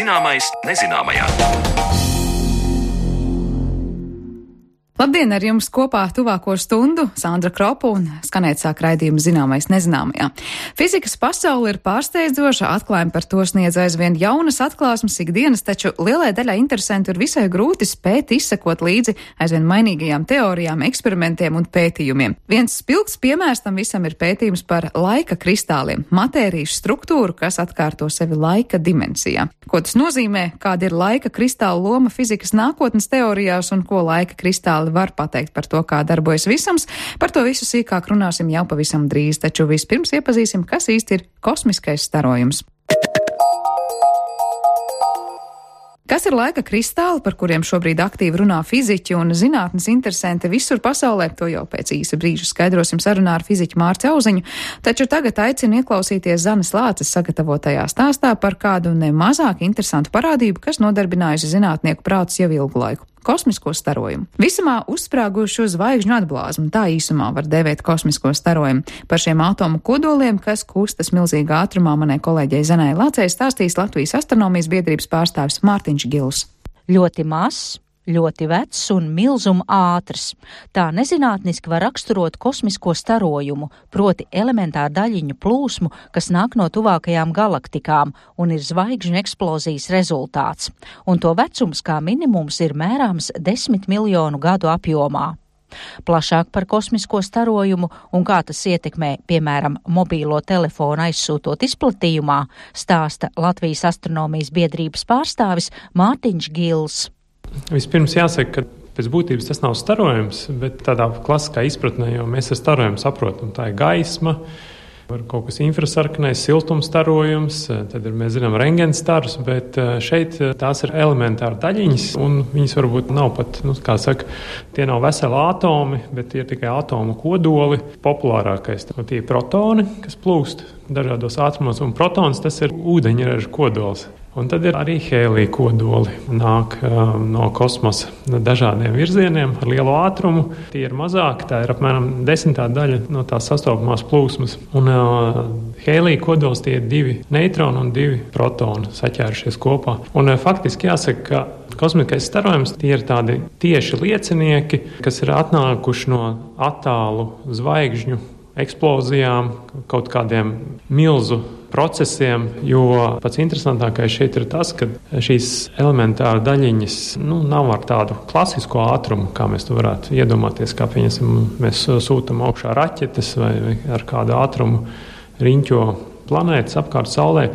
Zināmais nezināmajā. Labdien, ar jums kopā tuvāko stundu Sandra Kropa un skanēt sāk raidījumu Zināmais nezināmajā. Fizikas pasaule ir pārsteidzoša, atklājumi par to sniedz aizvien jaunas atklāsmes ikdienas, taču lielai daļai interesantu ir visai grūti spēt izsekot līdzi aizvien mainīgajām teorijām, eksperimentiem un pētījumiem. Viens spilgts piemērs tam visam ir pētījums par laika kristāliem, matērijas struktūru, kas atkārto sevi laika dimensijā. Ko tas nozīmē, kāda ir laika kristāla loma fizikas nākotnes teorijās un ko laika kristāli var pateikt par to, kā darbojas visums. Par to visu sīkāk runāsim jau pavisam drīz, taču vispirms iepazīsim, kas īsti ir kosmiskais starojums. Kas ir laika kristāli, par kuriem šobrīd aktīvi runā fiziķi un zinātnes interesanti visur pasaulē, to jau pēc īsa brīža skaidrosim sarunā ar fiziķu Mārci Auziņu, taču tagad aicinu ieklausīties Zanes Lāces sagatavotajā stāstā par kādu nemazāk interesantu parādību, kas nodarbinājusi zinātnieku prātus jau ilgu laiku. Kosmisko starojumu. Visumā uzsprāgušu zvaigžņu atblāzmu, tā īsumā var dēvēt kosmisko starojumu. Par šiem atomu kodoliem, kas kustas milzīgā ātrumā, manai kolēģei Zanai Lācei stāstīs Latvijas astronomijas biedrības pārstāvis Mārtiņš Gils. Ļoti mazs, ļoti vecs un milzuma ātrs. Tā nezinātniski var raksturot kosmisko starojumu, proti elementāru daļiņu plūsmu, kas nāk no tuvākajām galaktikām un ir zvaigžņu eksplozijas rezultāts. Un to vecums kā minimums ir mērāms 10 miljonu gadu apjomā. Plašāk par kosmisko starojumu un kā tas ietekmē, piemēram, mobīlo telefonu aizsūtot izplatījumā, stāsta Latvijas astronomijas biedrības pārstāvis Mārtiņš Gils. Vispirms jāsaka, ka pēc būtības tas nav starojums, bet tādā klasiskā izpratnē, jo mēs ar starojumu saprotam, tā ir gaisma, var kaut kas infrasarkanais, siltums starojums, tad mēs zinām rentgenstars, bet šeit tās ir elementāri daļiņas, un viņas varbūt nav pat, kā saka, tie nav veseli atomi, bet tie ir tikai atomu kodoli. Populārākais tie ir protoni, kas plūst dažādos ātrumos, un protons tas ir ūdeņraža kodols. Un tad ir arī hēlija kodoli, nāk no kosmosa dažādiem virzieniem ar lielu ātrumu. Tie ir mazāki, tā ir apmēram 10. daļa no tās sastopamās plūsmas. Un hēlija kodols tie ir 2 neutroni un 2 protoni saķērušies kopā. Un faktiski jāsaka, ka kosmiskais starojums tie ir tādi tieši liecinieki, kas ir atnākuši no attālu zvaigžņu eksplozijām, kaut kādiem milzu procesiem, jo pats interesantākais šeit ir tas, ka šīs elementāra daļiņas nav ar tādu klasisko ātrumu, kā mēs to varētu iedomāties, kā mēs sūtam augšā raķetes vai ar kādu ātrumu riņķo planētas apkārt Saulē,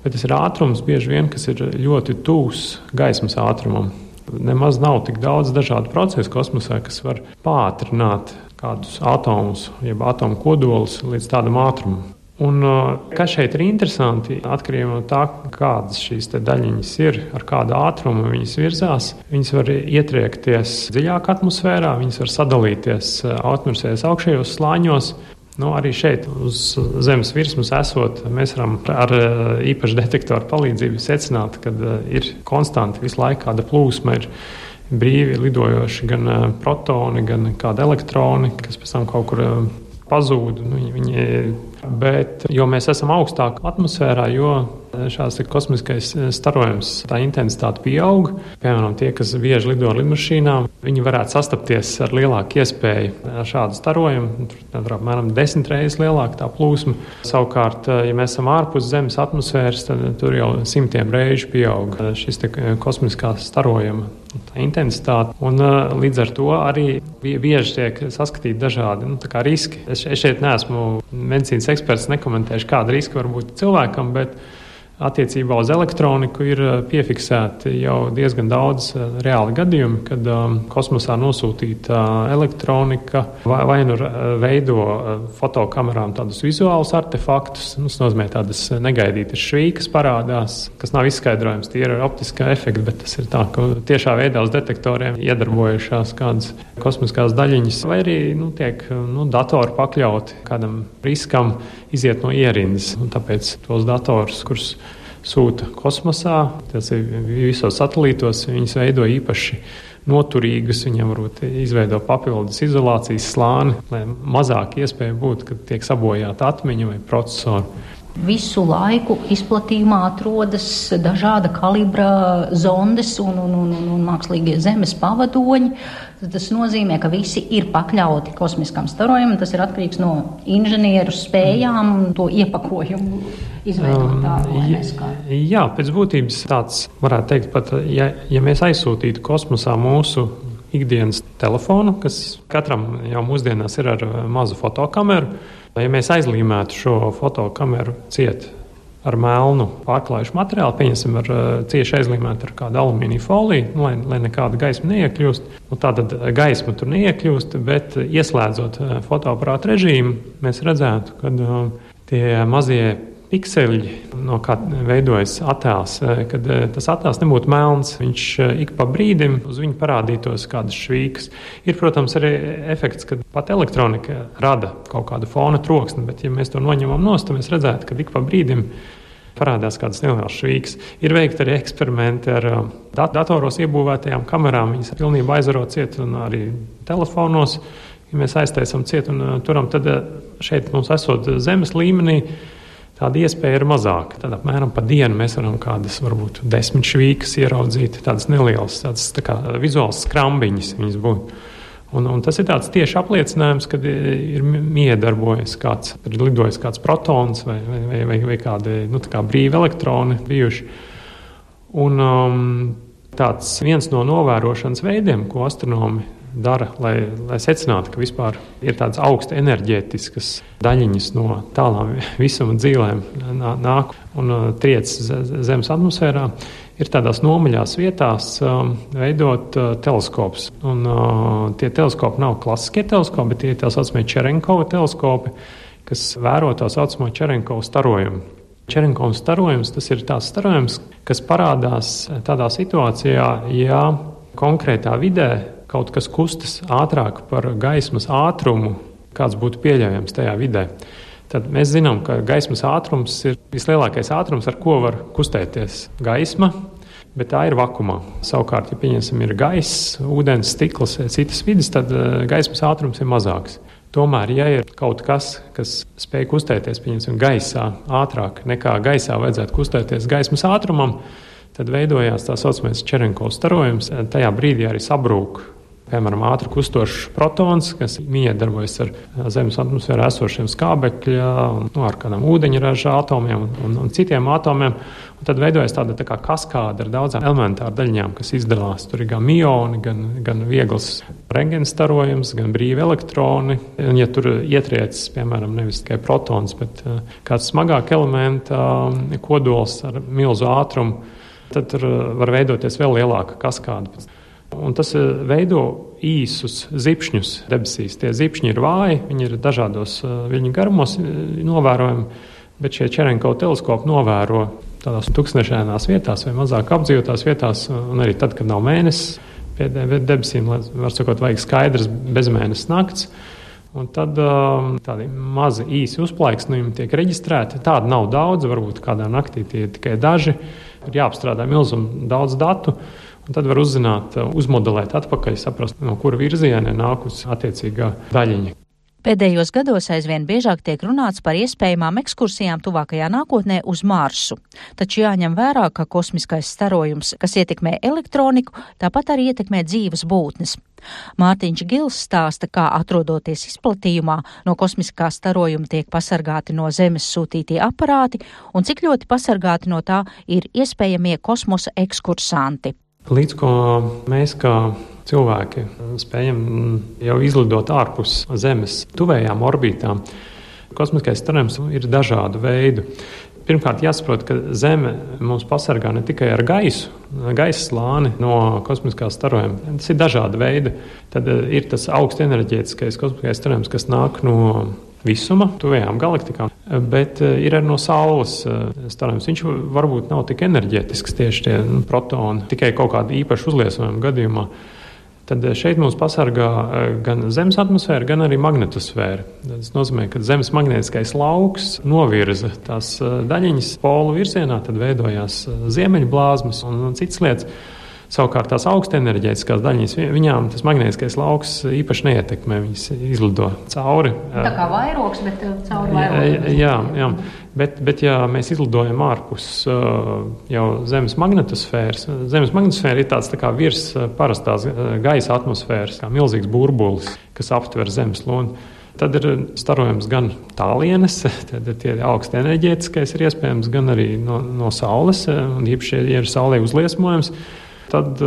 bet tas ir ātrums bieži vien, kas ir ļoti tūs gaismas ātrumam. Nemaz nav tik daudz dažādu procesu kosmosā, kas var pātrināt kādus atomus, jeb atomu kodolus līdz tādam ātrumam. Un kas šeit ir interesanti, atkarībā no tā, kādas šīs daļiņas ir, ar kādu ātrumu viņas virzās, viņas var ietriekties dziļāk atmosfērā, viņas var sadalīties atmosfēras augšējos slāņos. Arī šeit uz Zemes virsmas esot, mēs varam ar īpašu detektoru palīdzību secināt, ka ir konstanti visu laiku kāda plūsma ir brīvi lidojoši gan protoni, gan kādi elektroni, kas pēc tam kaut kur pazūd. Bet, jo mēs esam augstāk atmosfērā, jo šāds kosmiskais starojums, tā intensitāte pieaug. Piemēram, tie, kas bieži lido ar lidmašīnām, viņi varētu sastapties ar lielāku iespēju ar šādu starojumu. Tur ir apmēram 10 reizes lielāka tā plūsma. Savukārt, ja mēs esam ārpus Zemes atmosfēras, tad tur jau 100 reižu pieaug šis kosmiskā starojuma intensitāte. Un līdz ar to arī bieži tiek saskatīti dažādi riski. Es šeit neesmu medicīnas eksperts, nekomentēšu, kāda riska var būt cilvēkam, bet attiecībā uz elektroniku ir piefiksēti jau diezgan daudz reāli gadījumi, kad kosmosā nosūtīta elektronika vai nu veido fotokamerām tādus vizuālus artefaktus, tas nozīmē tādas negaidītas švīkas parādās, kas nav izskaidrojams, tie ir optiskā efekti, bet tas ir tā, ka tiešā veidā uz detektoriem iedarbojušās kādas kosmiskās daļiņas, vai arī tiek datori pakļauti kādam riskam iziet no ierindas, un tāpēc tos datorus, kurus sūta kosmosā, tas ir visos satelītos, viņas veido īpaši noturīgus, viņiem varbūt izveido papildus izolācijas slāni, lai mazāk iespēja būt, ka tiek sabojāta atmiņa vai procesori. Visu laiku izplatījumā atrodas dažāda kalibra zondes un mākslīgie zemes pavadoņi. Tas nozīmē, ka visi ir pakļauti kosmiskam starojumam. Tas ir atkarīgs no inženieru spējām un to iepakojumu izveidot tādu, lai neskārtu. Jā, pēc būtības tāds varētu teikt pat, ja mēs aizsūtītu kosmosā mūsu ikdienas telefonu, kas katram jau mūsdienās ir ar mazu fotokameru, ja mēs aizlīmētu šo fotokameru ciet ar melnu pārklājušu materiālu, pieņemsim ar cieši aizlīmētu ar kādu alumīnija foliju, lai nekāda gaisma neiekļūst. Tātad gaisma tur neiekļūst, bet ieslēdzot fotoaparātu režīmu, mēs redzētu, ka tie mazie pikseļi, no kā veidojas attēls, kad tas attēls nebūtu melns, viņš ik pa brīdim uz viņu parādītos kādas švīkas. Ir, protams, arī efekts, kad pat elektronika rada kaut kādu fona troksni, bet ja mēs to noņemam nost, tad mēs redzētu, ka ik pa brīdim parādās kādas nelielas švīkas. Ir veikti arī eksperimenti ar datoros iebūvētajām kamerām, viņas pilnībā aizvaro ciet un arī telefonos, ja mēs aiztaisam ciet un turam, tad šeit mums esot zemes līmenī, tāda iespēja ir mazāka. Tad apmēram pa dienu mēs varam kādas, varbūt 10 švīkas ieraudzīt, tādas nelielas, tādas tā kā vizuāls skrambiņas viņas būtu. Un tas ir tāds tieši apliecinājums, kad ir miedarbojas kāds, ir lidojis kāds protons vai kādi, tā kā brīvi elektroni bijuši. Un tāds viens no novērošanas veidiem, ko astronomi dara, lai secinātu, ka vispār ir tādas augsta enerģētiskas daļiņas no tālām visuma dzīvēm nāk un triec Zemes atmosfērā, ir tādās nomaļās vietās veidot teleskopus. Un tie teleskopi nav klasiskie teleskopi, bet tie ir tā saucamie Čerenkova teleskopi, kas vēro tā saucamo Čerenkova starojumu. Čerenkova starojums, tas ir tās starojums, kas parādās tādā situācijā, ja konkrētā vidē kaut kas kustas ātrāk par gaismas ātrumu, kāds būtu pieļaujams tajā vidē. Tad mēs zinām, ka gaismas ātrums ir vislielākais ātrums, ar ko var kustēties gaisma, bet tā ir vakumā. Savukārt, ja pieņemsim ir gaiss, ūdens, stikls, citas vidas, tad gaismas ātrums ir mazāks. Tomēr, ja ir kaut kas, kas spēj kustēties, pieņemsim, gaisā ātrāk nekā gaisā vajadzētu kustēties gaismas ātrumam, tad veidojās tā saucamais Čerenkova starojums. Tajā brīdī arī sabrūk, piemēram, ātri kustošs protons, kas miedarbojas ar Zemes atmosfērā esošiem skābekļa, ar kādām ūdeņraža atomiem un citiem atomiem. Un tad veidojas tāda tā kā kaskāde ar daudzām elementāru daļiņām, kas izdalās. Tur ir gan mioni, gan viegls rentgena starojums, gan brīvi elektroni. Un, ja tur ietriec, piemēram, nevis tikai protons, bet kāds smagāk elementa kodols ar milzu ātrumu, tad tur var veidoties vēl lielāka kaskāde. Un tas veido īsus zipšņus debesīs. Tie zipšņi ir vāji, viņi ir dažādos viļņu garumos novērojami, bet šie Čerenkova teleskopi novēro tādās tūkstnešainās vietās vai mazāk apdzīvotās vietās, un arī tad, kad nav mēnesis pie debesīm, var sakot, vajag skaidrs bezmēnesis nakts. Un tad tādi mazi īsi uzplaiksnījumi tiek reģistrēti. Tāda nav daudz, varbūt kādā naktī tie ir tikai daži. Ir jāapstrādā milzuma daudz datu, un tad var uzzināt, uzmodelēt atpakaļ, saprast, no kura virziena nākusi attiecīgā daļiņa. Pēdējos gados aizvien biežāk tiek runāts par iespējamām ekskursijām tuvākajā nākotnē uz Marsu. Taču jāņem vērā, ka kosmiskais starojums, kas ietekmē elektroniku, tāpat arī ietekmē dzīves būtnes. Mārtiņš Gils stāsta, kā atrodoties izplatījumā no kosmiskā starojuma tiek pasargāti no Zemes sūtītie aparāti un cik ļoti pasargāti no tā ir iespējamie kosmosa ekskursanti. Līdz ko mēs kā cilvēki spējam jau izlidot ārpus Zemes tuvējām orbītām, kosmiskais starojums ir dažādu veidu. Pirmkārt, jāsaprot, ka Zeme mums pasargā ne tikai ar gaisa slāni no kosmiskā starojuma. Tas ir dažāda veida. Tad ir tas augstenerģētiskais kosmiskais starojums, kas nāk no visuma, tuvējām galaktikām, bet ir arī no Saules starojums. Viņš varbūt nav tik enerģētisks tieši tie protoni, tikai kaut kāda īpaša uzliesmojuma gadījumā. Tad šeit mums pasargā gan Zemes atmosfēra, gan arī magnetosfēra. Tas nozīmē, ka Zemes magnētiskais lauks novirza tās daļiņas polu virzienā, tad veidojās ziemeļblāzmas un citas lietas. Savukārt tās augstenerģētiskās daļiņas, viņām tas magnētiskais lauks īpaši neietekmē, viņas izlido cauri. Tā kā vairogs, bet cauri vairogs. Jā. Bet ja mēs izlidojam ārpus jau Zemes magnetosfēras, Zemes magnetosfēra ir tāds tā kā virs parastās gaisa atmosfēras, kā milzīgs burbulis, kas aptver Zemes loni. Tad ir starojums gan tālienes, tad tie augsti enerģētiskais ir iespējams, gan arī no Saules, un īpaši, ja ir Saulē uzliesmojums, tad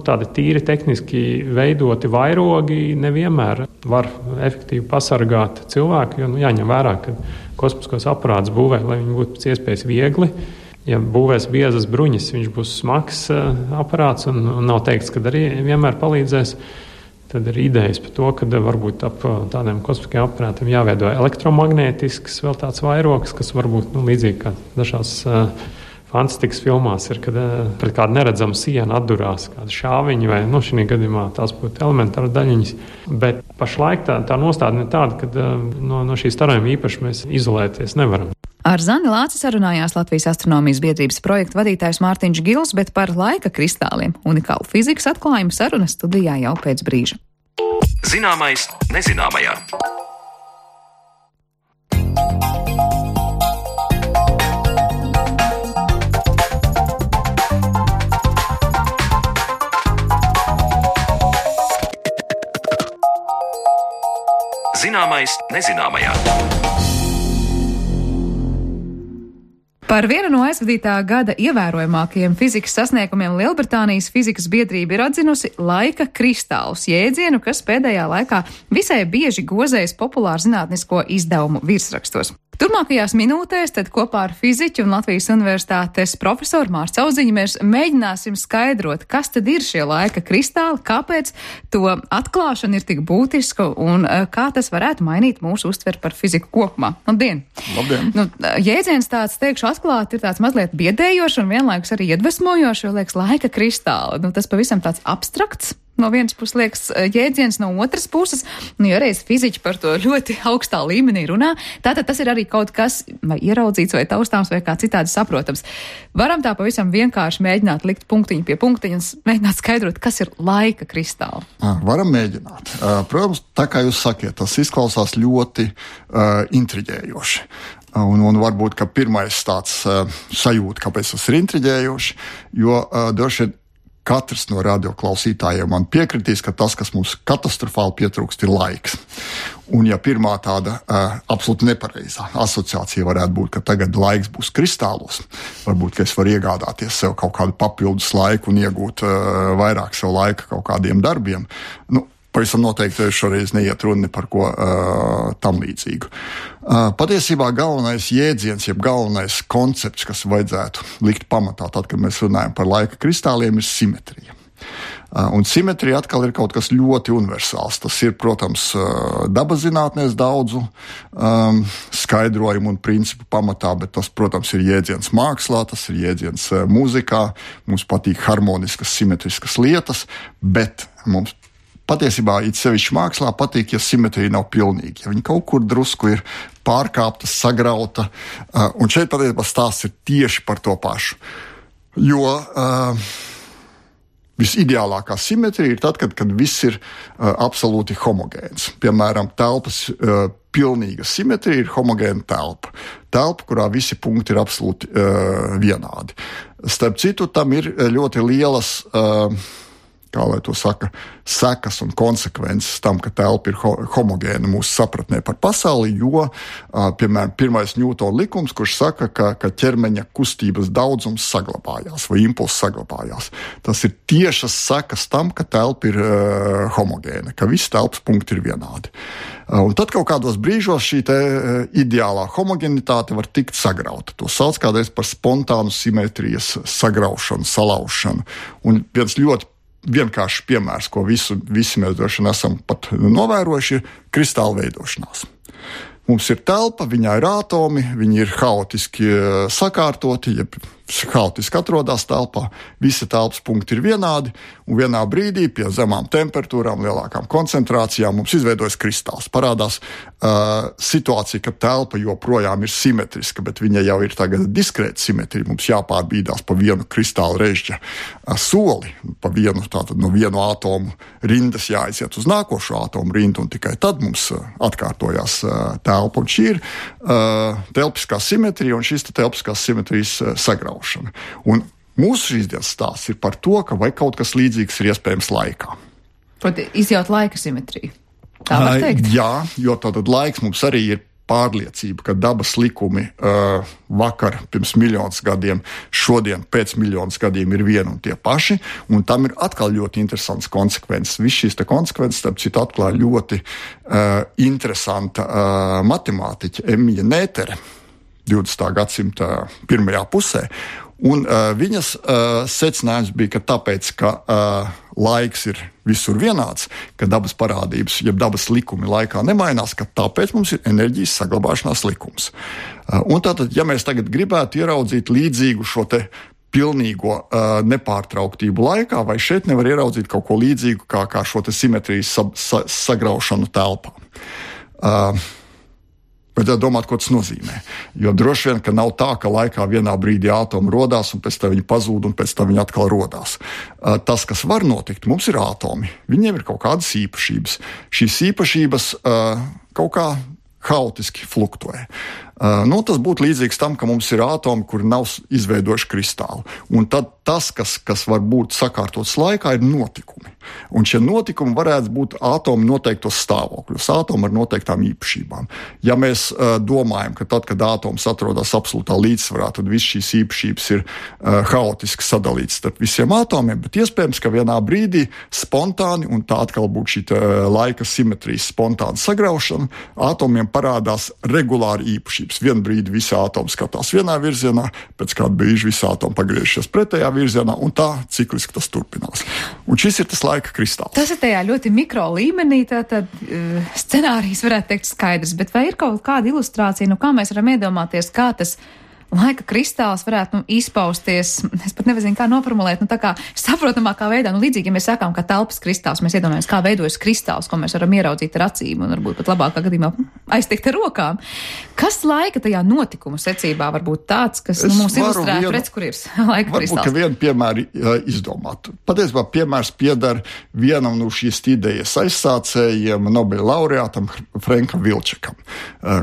tādi tīri tehniski veidoti vairogi nevienmēr var efektīvi pasargāt cilvēku, jo jāņem vērā, ka kosmiskos aparātus būvē, lai viņi būtu pēc iespējas viegli. Ja būvēs biezas bruņas, viņš būs smags aparāts un nav teikts, ka arī vienmēr palīdzēs. Tad ir idejas par to, ka varbūt ap tādiem kosmiskiem aparātiem jāveido elektromagnētisks vēl tāds vairogs, kas varbūt līdzīgi kā dažās fantastikas filmās ir, kad pret kādu neredzamu sienu atdurās kāda šāviņa vai, šī gadījumā tās būtu elementāra daļiņas. Bet pašlaik tā nostādne ir tāda, ka no šī starojuma īpaši mēs izolēties nevaram. Ar Zani Lāci sarunājās Latvijas astronomijas biedrības projekta vadītājs Mārtiņš Gils, bet par laika kristāliem unikālu fizikas atklājumu saruna studijā jau pēc brīža. Zināmais nezināmajā. Zināmais nezināmajā. Par vienu no aizvadītā gada ievērojamākajiem fizikas sasniegumiem Lielbritānijas fizikas biedrība ir atzinusi laika kristālus, jēdzienu, kas pēdējā laikā visai bieži gozējas populāru zinātnisko izdevumu virsrakstos. Turmākajās minūtēs tad kopā ar fiziķu un Latvijas universitātes profesoru Mārtu Auziņu mēs mēģināsim skaidrot, kas tad ir šie laika kristāli, kāpēc to atklāšana ir tik būtiska un kā tas varētu mainīt mūsu uztveri par fiziku kopumā. Labdien! Labdien! Jēdziens tāds, teikšu, atklāt ir tāds mazliet biedējošs un vienlaikus arī iedvesmojošs, jo liekas laika kristāli. Tas pavisam tāds abstrakts. No vienas puses liekas jēdziens, no otras puses, jo reiz fiziķi par to ļoti augstā līmenī runā, tātad tas ir arī kaut kas vai ieraudzīts vai taustāms vai kā citādi saprotams. Varam tā pavisam vienkārši mēģināt likt punktiņu pie punktiņu un mēģināt skaidrot, kas ir laika kristāli. Varam mēģināt. Protams, tā kā jūs sakiet, tas izklausās ļoti intriģējoši. Un varbūt, ka pirmais tāds sajūta, kāpēc tas ir intriģējoši, jo droši vien katrs no radioklausītājiem man piekritīs, ka tas, kas mums katastrofāli pietrūkst, ir laiks. Un ja pirmā tāda absolūti nepareizā asociācija varētu būt, ka tagad laiks būs kristālos, varbūt, ka es varu iegādāties sev kaut kādu papildus laiku un iegūt vairāk sev laika kaut kādiem darbiem, pavisam noteikti šoreiz neiet runa par ko tam līdzīgu. Patiesībā galvenais jēdziens, jeb galvenais koncepts, kas vajadzētu likt pamatā, tad, kad mēs runājam par laika kristāliem, ir simetrija. Un simetrija atkal ir kaut kas ļoti universāls. Tas ir, protams, dabas zinātnēs daudzu skaidrojumu un principu pamatā, bet tas, protams, ir jēdziens mākslā, tas ir jēdziens mūzikā. Mums patīk harmoniskas, simetriskas lietas, bet mums patiesībā it sevišķi mākslā patīk, ja simetrija nav pilnīga, ja viņa kaut kur drusku ir pārkāpta, sagrauta, un šeit patiesībā stāsts ir tieši par to pašu. Jo visideālākā simetrija ir tad, kad viss ir absolūti homogēns. Piemēram, telpas pilnīga simetrija ir homogēna telpa. Telpa, kurā visi punkti ir absolūti vienādi. Starp citu, tam ir ļoti lielas kā lai to saka, sekas un konsekvences tam, ka telpa ir homogēna mūsu sapratnē par pasauli, jo, piemēram, pirmais Ņūtona likums, kurš saka, ka ķermeņa kustības daudzums saglabājās vai impulss saglabājās. Tas ir tiešas sekas tam, ka telpa ir homogēna, ka visi telpas punkti ir vienādi. Un tad kaut kādos brīžos šī ideālā homogenitāte var tikt sagrauta. To sauc kādreiz par spontānu simetrijas sagraušanu, salaušanu. Un viens ļoti vienkāršs piemērs, ko visi mēs droši vien esam pat novērojuši, ir kristāla veidošanās. Mums ir telpa, viņā ir atomi, viņi ir haotiski sakārtoti, ja haotiski atrodas telpā, visi telpas punkti ir vienādi, un vienā brīdī pie zemām temperatūrām, lielākām koncentrācijām mums izveidojas kristāls. Parādās situācija, ka telpa joprojām ir simetriska, bet viņa jau ir tagad diskrēta simetrija. Mums jāpārbīdās pa vienu kristāla režģa soli, pa vienu, tātad no vienu atomu rindas jāaiziet uz nākošo atomu rindu, un tikai tad mums atkārtojās telpa. Un šī ir telpiskā simetrija, un šīs telpiskās simetrijas sagraušana. Un mūsu šīs dienas stāsts ir par to, ka vai kaut kas līdzīgs ir iespējams laikā. Proti, izjaut laika simetriju. Tā var teikt? Jā, jo tātad laiks mums arī ir pārliecība, ka dabas likumi vakar pirms miljonus gadiem, šodien pēc miljonus gadiem ir vieni un tie paši, un tam ir atkal ļoti interesants konsekvences. Viss šīs te konsekvences, starp citu, atklāja ļoti interesanta matemātiķa Emija Nētere 20. gadsimta pirmajā pusē, un viņas secinājums bija, ka tāpēc, ka laiks ir visur vienāds, ka dabas parādības, ja dabas likumi laikā nemainās, ka tāpēc mums ir enerģijas saglabāšanās likums. Un tātad, ja mēs tagad gribētu ieraudzīt līdzīgu šo te pilnīgo nepārtrauktību laikā, vai šeit nevar ieraudzīt kaut ko līdzīgu kā šo te simetrijas sagraušanu telpā. Vajadzētu domāt, ko tas nozīmē. Jo droši vien, ka nav tā, ka laikā vienā brīdī atomi rodās, un pēc tam viņi pazūd, un pēc tam viņi atkal rodās. Tas, kas var notikt, mums ir atomi. Viņiem ir kaut kādas īpašības. Šīs īpašības kaut kā haotiski fluktue. Tas būtu līdzīgs tam, ka mums ir atomi, kuri nav izveidojuši kristālu. Un tad tas, kas var būt sakārtots laikā, ir notikumi. Un šie notikumi varētu būt atomu noteiktos stāvokļos, atomu ar noteiktām īpašībām. Ja mēs domājam, ka tad, kad atoms atrodas absolūtā līdzsvarā, tad viss šīs īpašības ir haotiski sadalītas starp visiem atomiem, bet iespējams, ka vienā brīdī spontāni, un tā atkal būtu šī laika simetrijas spontāna sagraušana, atomiem parādās regulāri īpašības. Vienu brīdi visi atomi skatās vienā virzienā, pēc kāda brīža visi atomi pagriežas pretējā virzienā, un tā cikliski tas turpinās. Un šis ir tas laika kristāls. Tas ir tajā ļoti mikro līmenī, tātad scenārijs varētu teikt skaidrs, bet vai ir kaut kāda ilustrācija, kā mēs varam iedomāties, kā tas laika kristāls varētu izpausties, es pat nezinu, kā noformulēt, tā kā saprotamākā veidā, līdzīgi, ja mēs sākām, kā telpas kristāls, mēs iedomājamies, kā veidojas kristāls, ko mēs varam ieraudzīt ar acīm un varbūt pat labākā gadījumā aiztikt ar rokām. Kas laika tajā notikuma secībā var būt tāds, kas mums ilustrētu, redz, kur ir laika kristāls? Varbūt, ka vienu piemēru izdomāt. Patiesībā piemērs piedar vienam no šīs idejas aizsācējiem, Nobela laureātam Frankam Wilczekam,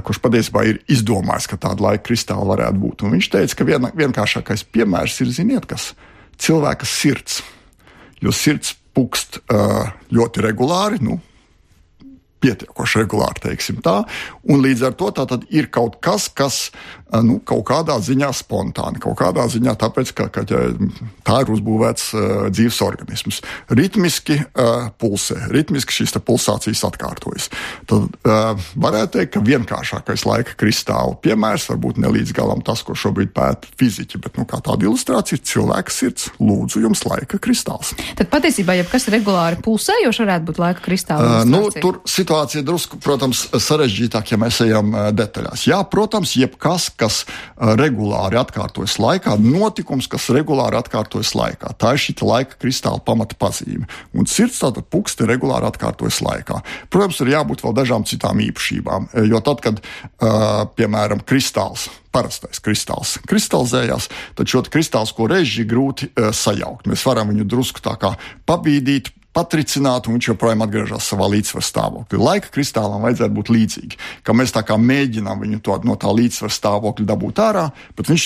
kurš patiesībā ir izdomājis, ka tāda laika kristāla varētu būt. Un viņš teica, ka vienkāršākais piemērs ir, ziniet, kas cilvēka sirds. Jo sirds pukst ļoti regulāri, pietiekoši regulāri, teiksim tā, un līdz ar to tātad ir kaut kas, kas kaut kādā ziņā spontāni, kaut kādā ziņā tāpēc, ka tā ir uzbūvēts dzīves organisms. Ritmiski pulsē, ritmiski šīs pulsācijas atkārtojas. Tad varētu teikt, ka vienkāršākais laika kristāla piemērs varbūt ne līdz galam tas, ko šobrīd pēta fiziķi, bet kā tāda ilustrācija ir cilvēka sirds. Lūdzu, jums laika kristāls. Tad patiesībā, ja kas regulāri pulsējoši varētu būt laika kristāla ilustrācija? Tur situācija drusku, protams, sarežģītāk, ja mēs ejam detaļās. Jā, protams, jebkas, kas regulāri atkārtojas laikā, notikums, kas regulāri atkārtojas laikā. Tā ir šī laika kristāla pamata pazīme. Un sirds tātad puksti regulāri atkārtojas laikā. Protams, ir jābūt vēl dažām citām īpašībām, jo tad, kad, piemēram, parastais kristāls kristalizējās, tad šo kristālisko režģi grūti sajaukt. Mēs varam viņu drusku tā kā pabīdīt, patricināt, un viņš joprojām atgriežas savā līdzsvaru stāvoklī. Laika kristālam vajadzētu būt līdzīgi, ka mēs tā kā mēģinām viņu no tā līdzsvaru stāvokļa dabūt ārā, bet viņš,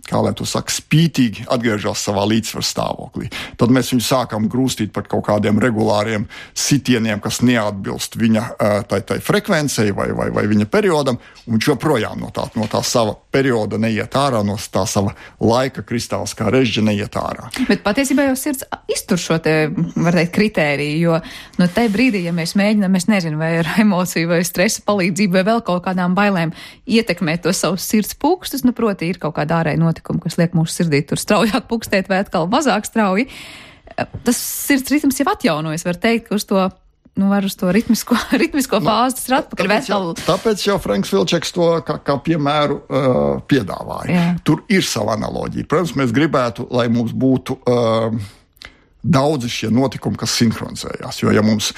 kā lai to saka, spītīgi atgriežas savā līdzsvaru stāvoklī. Tad mēs viņu sākam grūstīt par kaut kādiem regulāriem sitieniem, kas neatbilst viņa tai frekvencei vai viņa periodam, un viņš joprojām no tā sava perioda neiet ārā, no tā sava laika kristāls kā režģa neiet ārā. Bet patiesībā jau sirds iztur šo te, var teikt, kritēriju, jo tajā brīdī, ja mēs mēģinām, es nezinu, vai ar emociju vai stresa palīdzību vai vēl kaut kādām bailēm ietekmēt to savus sirds pulkstus, proti ir kaut kāda ārēja notikuma, kas liek mūsu sirdī tur straujāk pulkstēt vai atkal mazāk strauji. Tas sirds ritms jau atjaunojas, var teikt, ka uz to var uz to ritmisko fāzi, tas ir atpakaļ. Tāpēc jau Franks Vilčeks to kā piemēru piedāvāja. Jā. Tur ir sava analoģija. Protams, mēs gribētu, lai mums būtu daudzi šie notikumi, kas sinhronizējās, jo ja mums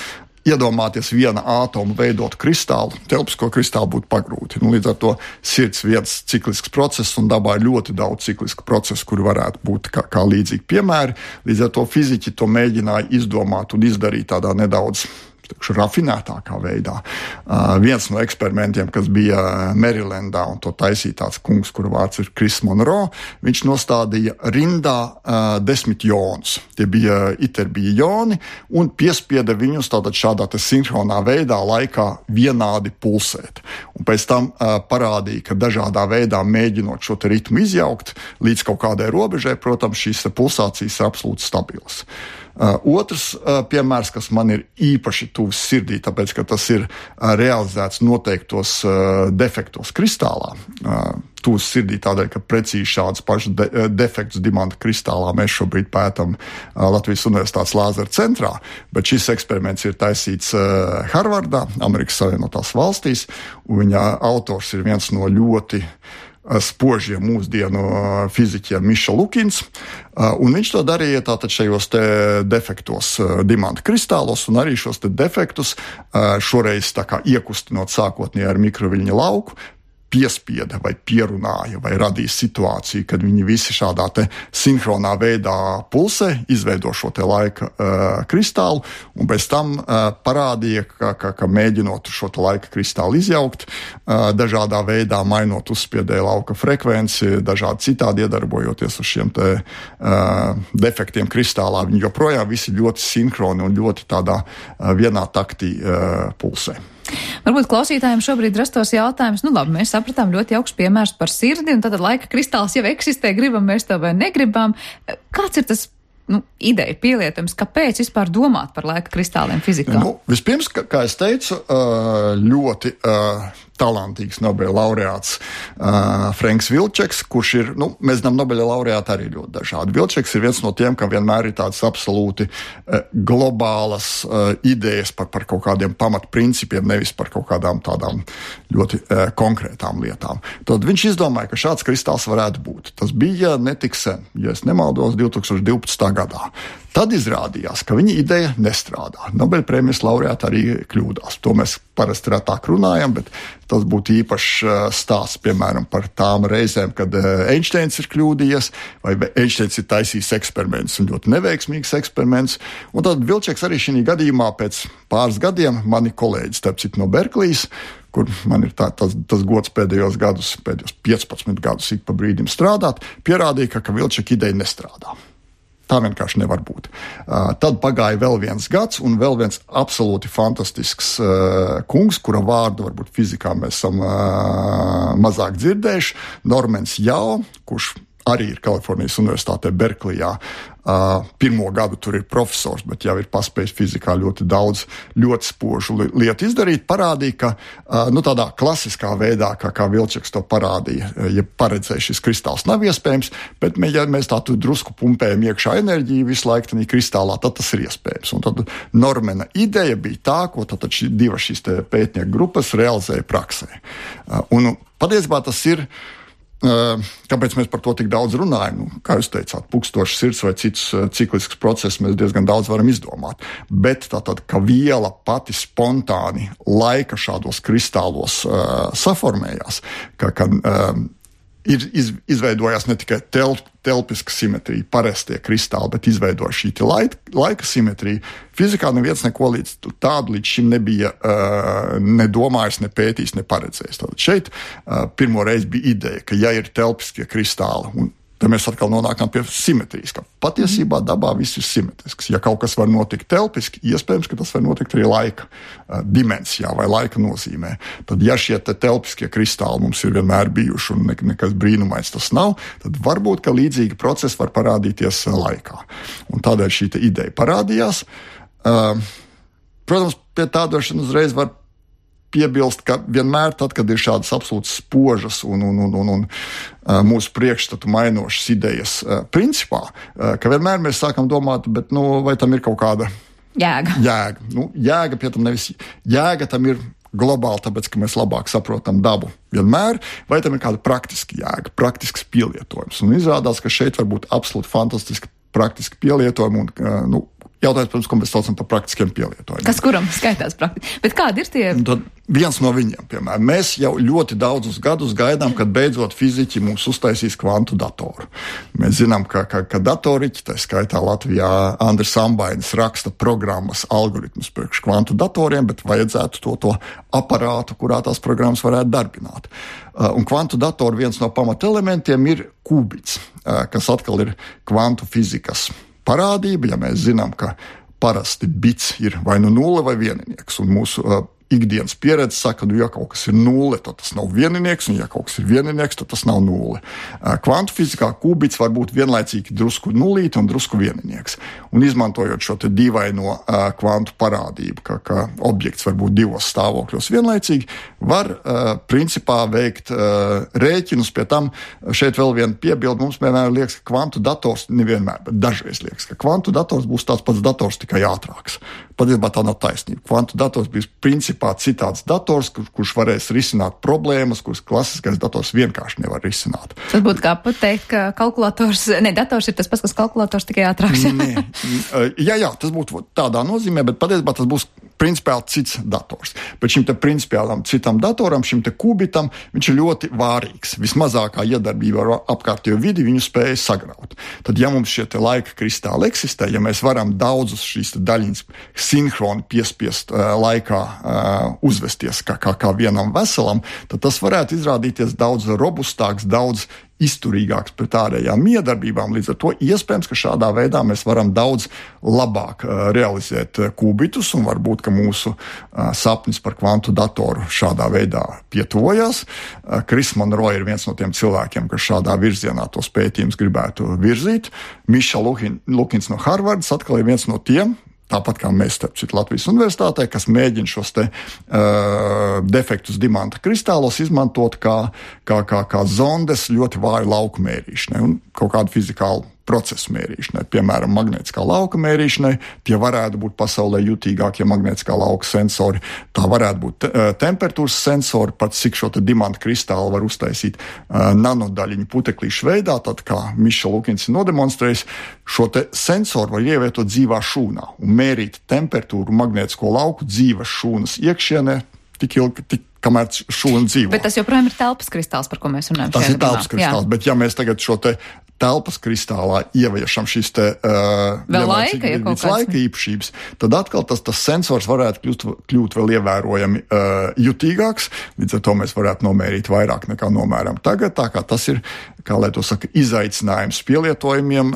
iedomāties viena ātoma veidot kristālu, telpisko kristālu būtu pagrūti. Līdz ar to sirds viens ciklisks process un dabā ir ļoti daudz ciklisku procesu, kuri varētu būt kā līdzīgi piemēri. Līdz ar to fiziķi to mēģināja izdomāt un izdarīt tādā nedaudz rafinētākā veidā. Viens no eksperimentiem, kas bija Marylandā, un to taisīja tāds kungs, kura vārds ir Chris Monroe, viņš nostādīja rindā 10 jonus. Tie bija joni un piespieda viņus tātad šādā sinhronā veidā laikā vienādi pulsēt. Un pēc tam parādīja, ka dažādā veidā mēģinot šo te ritmu izjaukt līdz kaut kādai robežai, protams, šīs pulsācijas ir absolūti stabilas. Otrs piemērs, kas man ir īpaši tuvs sirdī, tāpēc, ka tas ir realizēts noteiktos defektos kristālā. Tuvs sirdī tādēļ, ka precīzi šādus pašus defektus dimanta kristālā mēs šobrīd pētam Latvijas Universitātes Lāzera centrā, bet šis eksperiments ir taisīts Harvardā, Amerikas Savienotās valstīs, un viņa autors ir viens no ļoti spožiem mūsdienu fiziķiem Miša Lukins, un viņš to darīja tātad šajos te defektos dimanta kristālos, un arī šos te defektus šoreiz tā kā iekustinot sākotnēji ar mikroviļņa lauku, piespieda vai pierunāja vai radīja situāciju, kad viņi visi šādā te sinhronā veidā pulsē, izveido šo te laika kristālu, un pēc tam parādīja, ka mēģinot šo te laika kristālu izjaukt, dažādā veidā mainot uzspiedēja lauka frekvenci, dažādi citādi iedarbojoties uz šiem te defektiem kristālā, viņi joprojām visi ļoti sinhroni un ļoti tādā vienā taktī pulsē. Varbūt klausītājiem šobrīd rastos jautājums, labi, mēs sapratām ļoti jauks piemērs par sirdi, un tad laika kristāls jau eksistē, gribam mēs to vai negribam. Kāds ir tas ideja pielietams, kāpēc vispār domāt par laika kristāliem fizikā? Vispirms, kā es teicu, ļoti talantīgs Nobela laureāts Franks Vilčeks, kurš ir, mēs zinām, Nobela laureāti arī ļoti dažādi. Vilčeks ir viens no tiem, kam vienmēr ir tādas absolūti globālas idejas par kaut kādiem pamatprincipiem, nevis par kaut kādām tādām ļoti konkrētām lietām. Tad viņš izdomāja, ka šāds kristāls varētu būt. Tas bija netik sen, ja es nemaldos, 2012. gadā. Tad izrādījās, ka viņa ideja nestrādā. Nobela prēmijas laureāti arī kļūdās. To mēs parasti retāk runājam, bet tas būtu īpašs stāsts, piemēram, par tām reizēm, kad Einsteins ir kļūdījies, vai Einsteins ir taisījis eksperiments, un ļoti neveiksmīgs eksperiments. Un tad Vilčeks arī šī gadījumā pēc pāris gadiem, mani kolēģi, starp citu no Berklijas, kur man ir tas gods pēdējos 15 gadus ik pa brīdim strādāt, pierādīja, ka Vilčeka ideja nestrādā. Tā vienkārši nevar būt. Tad pagāja vēl viens gads, un vēl viens absolūti fantastisks kungs, kura vārdu varbūt fizikā mēs esam mazāk dzirdējuši, Normans Jau, kurš arī ir Kalifornijas Universitātē Berklijā. Pirmo gadu tur ir profesors, bet jau ir paspējis fizikā ļoti daudz, ļoti spožu lietu izdarīt, parādīja, ka tādā klasiskā veidā, kā Vilčeks to parādīja, ja paredzēja šis kristāls nav iespējams, bet ja mēs tā drusku pumpējam iekšā enerģiju visu laiku tādā kristālā, tad tas ir iespējams. Un tad Normana ideja bija tā, ko tad divas šīs pētnieku grupas realizēja praksē. Un patiesībā tas ir kāpēc mēs par to tik daudz runājam? Kā jūs teicāt, pukstošs sirds vai cits ciklisks process mēs diezgan daudz varam izdomāt. Bet tātad, ka viela pati spontāni laika šādos kristālos saformējās, ka ir izveidojās ne tikai telpiska simetrija, parastie kristāli, bet izveidoja šī laika simetrija. Fizikā neviens neko tādu līdz šim nebija nedomājis, ne pētījis, ne paredzējis. Tātad šeit pirmo reizi bija ideja, ka ja ir telpiskie kristāli, un tad mēs atkal nonākam pie simetrijas, ka patiesībā dabā viss ir simetrisks. Ja kaut kas var notikt telpiski, iespējams, ka tas var notikt arī laika dimensijā vai laika nozīmē. Tad, ja šie telpiskie kristāli mums ir vienmēr bijuši un nekas brīnumains tas nav, tad varbūt, ka līdzīgi procesi var parādīties laikā. Un tādēļ šī ideja parādījās. Protams, pie tādošana uzreiz var piebilst, ka vienmēr tad, kad ir šādas absolūti spožas un mūsu priekšstatu mainošas idejas principā, ka vienmēr mēs sākam domāt, bet vai tam ir kaut kāda Jēga. Jēga pie tam nevis. Jēga tam ir globāli, tāpēc, ka mēs labāk saprotam dabu vienmēr, vai tam ir kāda praktiska jēga, praktisks pielietojums. Un izrādās, ka šeit var būt absolūti fantastiski praktiski pielietojumi un, jautājums, protams, ko mēs saucam par praktiskiem pielietojumiem. Kas kuram skaitās praktiski? Bet kādi ir tie? Tad viens no viņiem, piemēram, mēs jau ļoti daudzus gadus gaidām, kad beidzot fiziķi mums uztaisīs kvantu datoru. Mēs zinām, ka datoriķi, tā skaitā Latvijā Andris Ambainis raksta programmas, algoritmus priekš kvantu datoriem, bet vajadzētu to aparātu, kurā tās programmas varētu darbināt. Un kvantu datoru viens no pamatelementiem ir qubits, kas atkal ir kvantu fizikas parādība, ja mēs zinām, ka parasti bits ir vai nu nulle vai vieninieks, un mūsu ikdienas pieredze saka, ja kaut kas ir nulle, tad tas nav vieninieks, un ja kaut kas ir vieninieks, tad tas nav nulle. Kvantu fizikā qubits var būt vienlaicīgi drusku nulīti un drusku vieninieks. Un izmantojot šo te dīvaino kvantu parādību, ka objekts var būt divos stāvokļos vienlaicīgi, var principā veikt rēķinus. Pie tam šeit vēl viena piebilde. Mums vienmēr liekas, ka kvantu dators, nevienmēr, bet dažreiz liekas, ka kvantu dators būs tāds pats dators, tikai ātrāks. Patiesībā tā nav taisnība. Kvantu dators bija principā citāds dators, kurš varēs risināt problēmas, kuras klasiskais dators vienkārši nevar risināt. Tas būtu kā pateikt, ka dators ir tas pats, kas kalkulators, tikai ātrāks. Jā, tas būtu tādā nozīmē, bet patiesībā tas būs principiāli cits dators. Bet šim te principiālam citam datoram, šim te kubitam, viņš ir ļoti vārīgs. Vismazākā iedarbība ar apkārtējo vidi viņu spēja sagraut. Tad, ja mums šie te laika kristāli eksistē, ja mēs varam daudzus šīs te daļiņas sinhroni piespiest laikā uzvesties kā vienam veselam, tad tas varētu izrādīties daudz robustāks, daudz izturīgāks pret ārējām miedarbībām. Līdz ar to iespējams, ka šādā veidā mēs varam daudz labāk realizēt kubitus, un varbūt, ka mūsu sapnis par kvantu datoru šādā veidā pietuvojās. Kris Monroe ir viens no tiem cilvēkiem, kas šādā virzienā tos pētījumus gribētu virzīt. Miša Lukins no Harvardas atkal ir viens no tiem, tāpat kā mēs, starp citu, Latvijas universitātē, kas mēģina šos te defektus dimanta kristālos izmantot kā zondes ļoti vāju lauku mērīšanai un kaut kādu fizikālu procesu mērīšanai. Piemēram, magnētiskā lauka mērīšanai, tie varētu būt pasaulē jutīgākie magnētiskā lauka sensori. Tā varētu būt temperatūras sensori, pat cik šo te dimanta kristālu var uztaisīt nanodaļiņu puteklīšu veidā, tad kā Miša Lukins ir nodemonstrējis, šo te sensoru var ievietot dzīvā šūnā un mērīt temperatūru magnētisko lauku dzīves šūnas iekšienē tik ilgi, kamēr šūna dzīvo. Bet tas joprojām ir telpas kristāls, par ko mēs runājam. Tas ir telpas kristāls, bet ja mēs tagad šo te telpas kristālā ieviešam šīs te laika īpašības, tad atkal tas sensors varētu kļūt vēl ievērojami jutīgāks, līdz ar to mēs varētu nomērīt vairāk nekā nomēram tagad, tā kā tas ir, kā lai to saka, izaicinājums pielietojumiem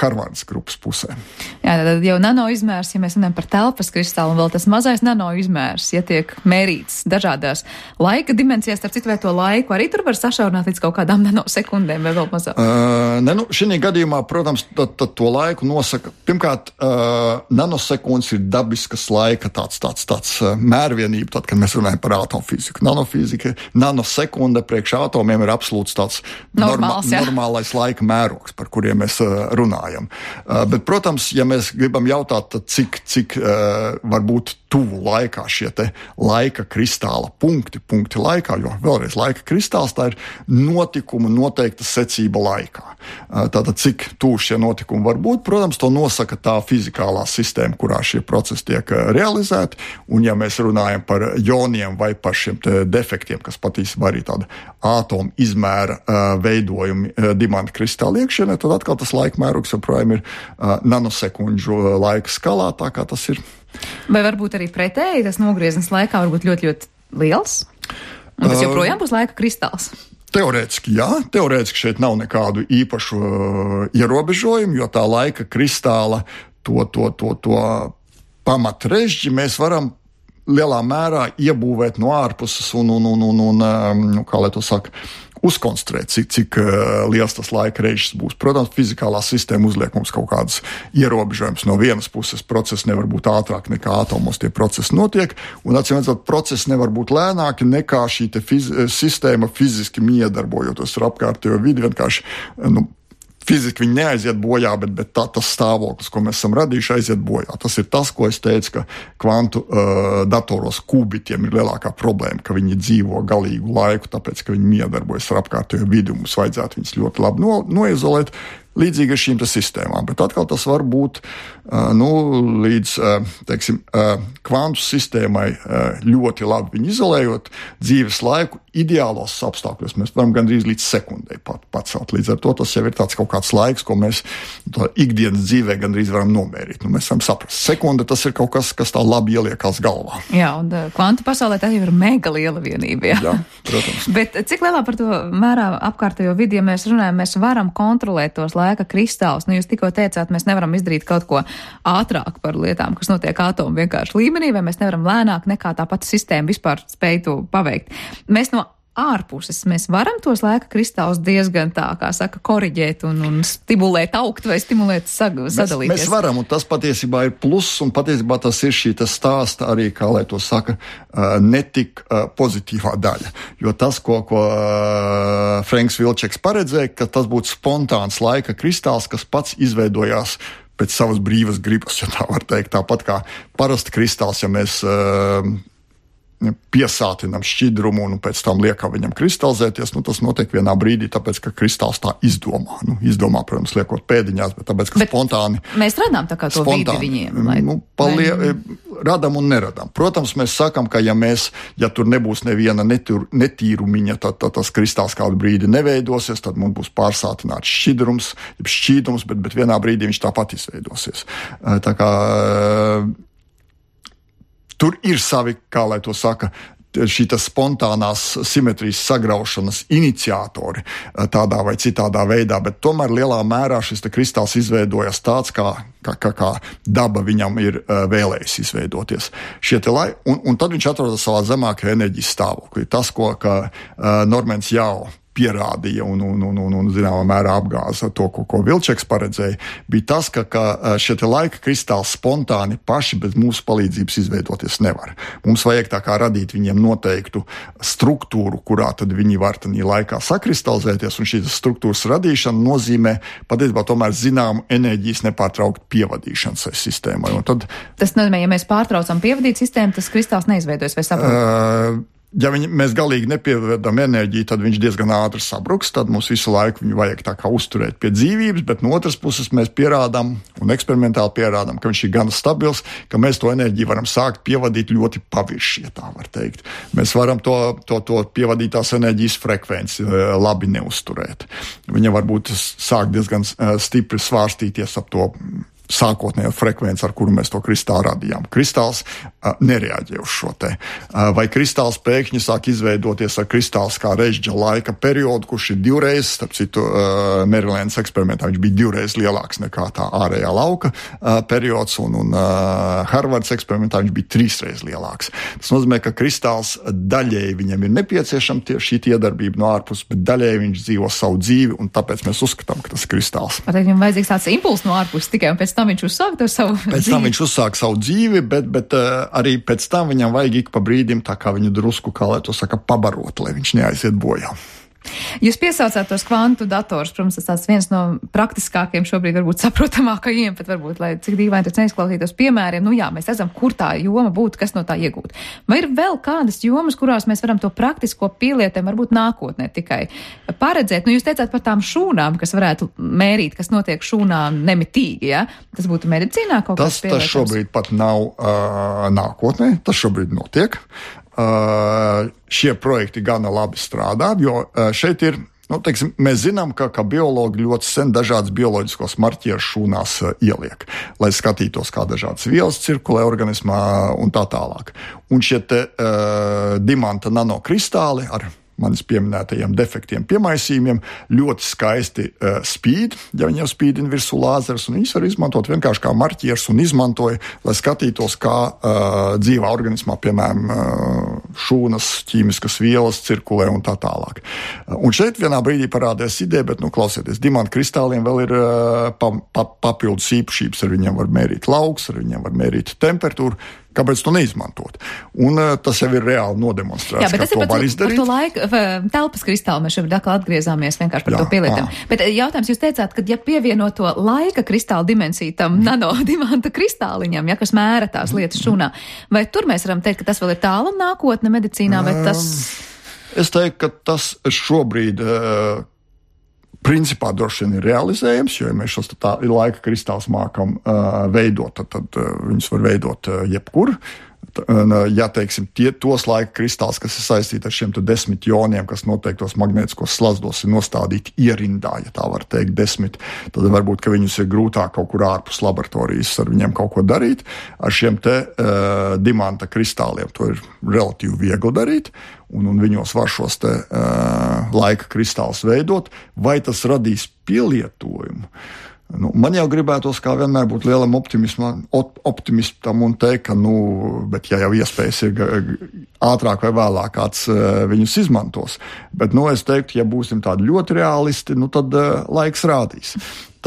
Harvardas grupas pusē. Jā, tad jau nano izmērs, ja mēs runājam par telpas kristālu, un vēl tas mazais nano izmērs, ja tiek mērīts dažādās laika dimensijās, starp citu, vai to laiku arī tur var sašaurināt līdz kaut kādām nanosekundēm vai vēl mazāk? Šī gadījumā, protams, to laiku nosaka. Pirmkārt, nanosekundes ir dabiskas laika tāds mērvienība, tad, kad mēs runājam par atomufiziku. Nanosekunde priekš atomiem ir absolūts tāds normālais laika mērogs, par kuriem mēs runājam. Bet, protams, ja mēs gribam jautāt, cik var būt tuvu laikā šie te laika kristāla punkti laikā, jo vēlreiz laika kristāls tā ir notikuma noteikta secība laikā. Tātad, cik tuvu šie notikumi var būt, protams, to nosaka tā fizikālā sistēma, kurā šie procesi tiek realizēti, un ja mēs runājam par joniem vai par šiem te defektiem, kas patiesībā arī tāda ātoma izmēra veidojumi dimanta kristāla iekšienē, tad atkal tas laika mērogs joprojām ir nanosekundžu laika skalā, tā kā tas ir. Vai varbūt arī pretēji, tas nogrieznis laikā var būt ļoti, ļoti liels? Un tas joprojām būs laika kristāls? Teorētiski jā, šeit nav nekādu īpašu ierobežojumu, jo tā laika kristāla to pamatrežģi mēs varam lielā mērā iebūvēt no ārpuses un kā lai to saka, uzkonstruēt, cik liels tas laika režģis būs. Protams, fizikālā sistēma uzliek mums kaut kādas ierobežojumus. No vienas puses procesi nevar būt ātrāk nekā atomos tie procesi notiek, un atcīmredzot, procesi nevar būt lēnāki nekā šī te sistēma fiziski miedarbojoties ar apkārtējo vidi, vienkārši fiziski viņi neaiziet bojā, bet tas stāvoklis, ko mēs esam radījuši, aiziet bojā. Tas ir tas, ko es teicu, ka kvantu datoros kubitiem ir lielākā problēma, ka viņi dzīvo galīgu laiku, tāpēc, ka viņi miedarbojas ar apkārtējo vidi, un mums vajadzētu viņus ļoti labi noizolēt. Līdzīgi ar šīm sistēmām, bet atkal tas var būt līdz, teiksim, kvantu sistēmai ļoti labi viņu izolējot dzīves laiku. Ideālos apstākļos mēs varam gandrīz līdz sekundei pacelt. Līdz ar to tas jau ir tāds kaut kāds laiks, ko mēs ikdienas dzīvē gandrīz varam nomērīt. Mēs varam saprast. Sekunde tas ir kaut kas, kas tā labi ieliekās galvā. Jā, un kvantu pasaulē tā jau ir mega liela vienība. Jā, protams. Bet cik lielā par to mērā apkārtējo vidi, ja mēs runājam, mēs varam kontrolēt tos laika kristālus. Jūs tikko teicāt, mēs nevaram izdarīt kaut ko ātrāk par lietām, kas notiek atomu vienkārši līmenī, vai mēs nevaram lēnāk nekā tā pati sistēma vispār spēj to paveikt. Mēs no ārpuses mēs varam tos laika kristālus diezgan tā, kā saka, koriģēt un stimulēt augt vai stimulēt sadalīties. Mēs varam, un tas patiesībā ir pluss, un patiesībā tas ir šī stāsta arī, kā lai to saka, netik pozitīvā daļa. Jo tas, ko Franks Vilčeks paredzēja, ka tas būtu spontāns laika kristāls, kas pats izveidojās pēc savas brīvas gribas, ja tā var teikt. Tāpat kā parasti kristāls, ja mēs piesātinam šķidrumu un pēc tam liekam viņam kristalizēties, tas notiek vienā brīdī, tāpēc, ka kristāls tā izdomā. Izdomā, protams, liekot pēdiņās, bet tāpēc, ka spontāni... Mēs radām tā kā to vidi viņiem. Radam un neradam. Protams, mēs sakam, ka ja tur nebūs neviena netīrumiņa, tad tas kristāls kādu brīdi neveidosies, tad mums būs pārsātināts šķīdums, bet vienā brīdī viņš tāpat izveidosies. Tā kā tur ir savi, kā lai to saka, šītas spontānās simetrijas sagraušanas iniciatori tādā vai citādā veidā, bet tomēr lielā mērā šis kristāls izveidojas tāds, kā daba viņam ir vēlējusi izveidoties. Un tad viņš atrodas savā zemākajā enerģijas stāvoklī. Tas, ko Normans Jau pierādīja un zināmā mērā apgāza to, ko Vilčeks paredzēja, bija tas, ka šie laika kristāli spontāni paši bez mūsu palīdzības izveidoties nevar. Mums vajag tā kā radīt viņiem noteiktu struktūru, kurā tad viņi var tādā laikā sakristalizēties, un šīs struktūras radīšana nozīmē patiesībā tomēr zināmu enerģijas nepārtrauktu pievadīšanu sistēmai. Tas nozīmē, ja mēs pārtraucam pievadīt sistēmu, tas kristāls neizveidojas, vai saprotam? Ja mēs galīgi nepievedam enerģiju, tad viņš diezgan ātri sabruks, tad mums visu laiku viņu vajag tā kā uzturēt pie dzīvības, bet no otras puses mēs pierādām un eksperimentāli pierādām, ka viņš ir gan stabils, ka mēs to enerģiju varam sākt pievadīt ļoti pavirši, ja tā var teikt. Mēs varam to pievadītās enerģijas frekvenci labi neuzturēt. Viņa varbūt sāk diezgan stipri svārstīties ap to sākotnējo frekvenci, ar kuru mēs to kristālu radījām. Kristāls nereaģē uz šo te. Vai kristāls pēkšņi sāk izveidoties ar kristāls kā režģa laika periodu, kurš ir divreiz, starp citu, Marylandas eksperimentā viņš bija divreiz lielāks nekā tā ārējā lauka periods, un Harvards eksperimentā viņš bija trīsreiz lielāks. Tas nozīmē, ka kristāls daļēji viņam ir nepieciešama šī iedarbība no ārpuses, bet daļēji viņš dzīvo savu dzīvi, un tāpēc mēs uzskatām, ka tas ir kristāls. Viņam vajadzīgs tāds impulss no ārpuses tikai, un pēc tam viņš uzsāk to savu dzīvi. Pēc tam viņš uzsāk savu dzīvi, bet arī pēc tam viņam vajag ik pa brīdim tā kā viņu drusku, kā lai to saka, pabarot, lai viņš neaiziet bojā. Jūs piesaucāt tos kvantu dators, protams, tas viens no praktiskākiem šobrīd varbūt saprotamākajiem, pat varbūt, lai cik dīvaini tas neizklausītos piemēriem. Mēs redzam, kur tā joma būtu, kas no tā iegūt. Vai ir vēl kādas jomas, kurās mēs varam to praktisko pielietojumu varbūt nākotnē tikai paredzēt? Jūs teicāt par tām šūnām, kas varētu mērīt, kas notiek šūnā nemitīgi, ja? Tas būtu medicīnā kaut kas pielietojums? Tas šobrīd pat nav nākotnē, tas šobrīd notiek. Šie projekti gana labi strādā, jo šeit ir, mēs zinām, ka biologi ļoti sen dažādas bioloģiskos marķierus šūnās ieliek, lai skatītos, kā dažādas vielas cirkulē organismā un tā tālāk. Un šie dimanta nanokristāli ar manis pieminētajiem defektiem piemaisījumiem ļoti skaisti spīd, ja viņi jau spīdina virsū lāzerus, un viņus var izmantot vienkārši kā marķierus un izmantoja, lai skatītos, kā dzīvā organismā, piemēram, šūnas, ķīmiskas vielas cirkulē un tā tālāk. Un šeit vienā brīdī parādījās ideja, bet, klausieties, dimanta kristāliem vēl ir papildus īpašības, ar viņiem var mērīt lauks, ar viņiem var mērīt temperatūru. Kāpēc to neizmantot? Un tas jau ir reāli nodemonstrēts, jā, bet ka to var izdarīt. Par to laiku, telpas kristālu mēs šobrīd atkal atgriezāmies vienkārši par to pielietam. Bet jautājums, jūs teicāt, ka ja pievieno to laika kristāla dimensiju tam nanodimanta kristāliņam, ja, kas mēra tās lietas šūnā, vai tur mēs varam teikt, ka tas vēl ir tālu nākotne medicīnā, vai tas... Es teiktu, ka tas šobrīd... Principā droši vien ir realizējams, jo ja mēs šos laika kristālus mākam veidot, tad viņus var veidot jebkur. Ja, teiksim, tos laika kristāls, kas ir saistīti ar šiem 10 joniem, kas noteiktos magnētiskos slazdos ir nostādīti ierindā, ja tā var teikt 10, tad varbūt, ka viņus ir grūtāk kaut kur ārpus laboratorijas ar viņiem kaut ko darīt. Ar šiem dimanta kristāliem to ir relatīvi viegli darīt, un viņos var šos laika kristālus veidot, vai tas radīs pielietojumu. Man jau gribētos, kā vienmēr, būt lielam optimistam un teikt, ka, bet ja jau iespējas ir ātrāk vai vēlāk kāds viņus izmantos. Bet, es teiktu, ja būsim tādi ļoti realisti, tad laiks rādīs.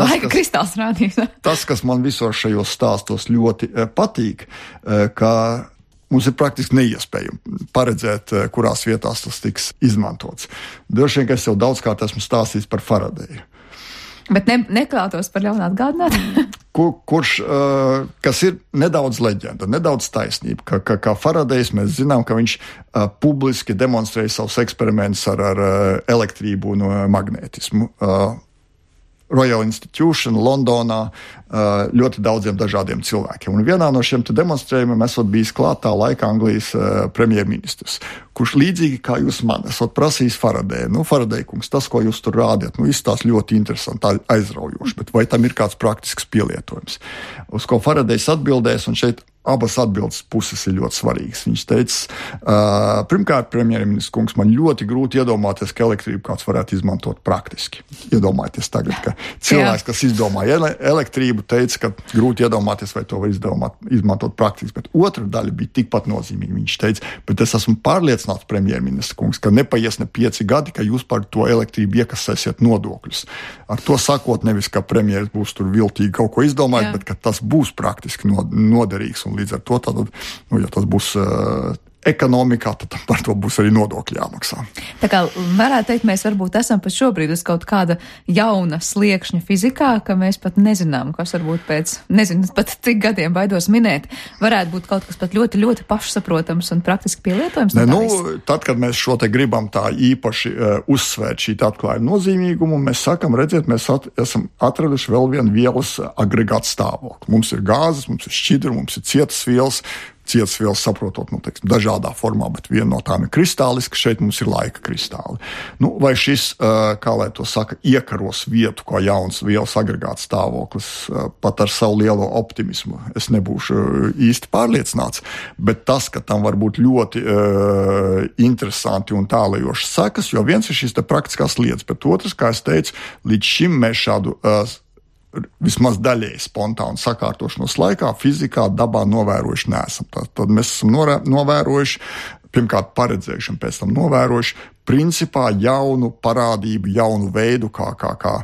Laika kristāls rādīs. Tas, kas man visos šajos stāstos ļoti patīk, ka mums ir praktiski neiespējami paredzēt, kurās vietās tas tiks izmantots. Droši vien, ka es jau daudzkārt esmu stāstījis par Faradeju. Bet neklātos par ļaunu atgādināt? Kas ir nedaudz leģenda, nedaudz taisnība, kā Faradejs mēs zinām, ka viņš publiski demonstrēja savus eksperimentus ar elektrību un magnētismu. Royal Institution, Londonā, ļoti daudziem dažādiem cilvēkiem. Un vienā no šiem demonstrējumiem esot bijis klātā laika Anglijas premjerministrs, kurš līdzīgi kā jūs man esot prasījis Faradeju. Faradej kungs, tas, ko jūs tur rādiet, izstās ļoti interesanti, aizraujoši, bet vai tam ir kāds praktisks pielietojums? Uz ko Faradejs atbildēs, un šeit abas atbildes puses ir ļoti svarīgas. Viņš teica, pirmkārt, premjerministrs kungs, man ļoti grūti iedomāties, ka elektrību kāds varētu izmantot praktiski. Iedomājieties tagad, ka cilvēks, kas izdomāja elektrību, teica, ka grūti iedomāties, vai to var izmantot praktiski. Bet otra daļa bija tikpat nozīmīga. Viņš teica, bet es esmu pārliecināts, premjerministrs kungs, ka nepaies ne 5 gadi, ka jūs par to elektrību iekasēsiet nodokļus. Ar to sakot, nevis, ka premjeris būs tur viltīgi kaut ko izdomājis, bet ka tas būs praktiski noderīgs. Līdz ar to, ja tas būs ekonomikā, tad par to būs arī nodokļi jāmaksā. Tā kā varētu teikt, mēs varbūt esam pat šobrīd uz kaut kāda jauna sliekšņa fizikā, ka mēs pat nezinām, kas varbūt pēc, pat cik gadiem baidos minēt, varētu būt kaut kas pat ļoti, ļoti pašsaprotams un praktiski pielietojams. Tad, kad mēs šo te gribam tā īpaši uzsvērt šī atklājuma nozīmīgumu, mēs sakam, redziet, mēs esam atraduši vēl vienu vielas agregātu stāvokli. Mums ir gāzes, mums ir šķidri, mums ir cietas vielas, saprotot, dažādā formā, bet viena no tām ir kristāliska, šeit mums ir laika kristāli. Vai šis, kā lai to saka, iekaros vietu, kā jauns vielas agregāts stāvoklis, pat ar savu lielo optimismu, es nebūšu īsti pārliecināts, bet tas, ka tam var būt ļoti interesanti un tālajošas sekas, jo viens ir šīs te praktiskās lietas, bet otrs, kā es teicu, līdz šim mēs šādu vismaz daļēji spontānu sakārtošanos laikā, fizikā, dabā novērojuši neesam. Tad mēs esam novērojuši, pirmkārt paredzējuši un pēc tam novērojuši, principā jaunu parādību, jaunu veidu, kā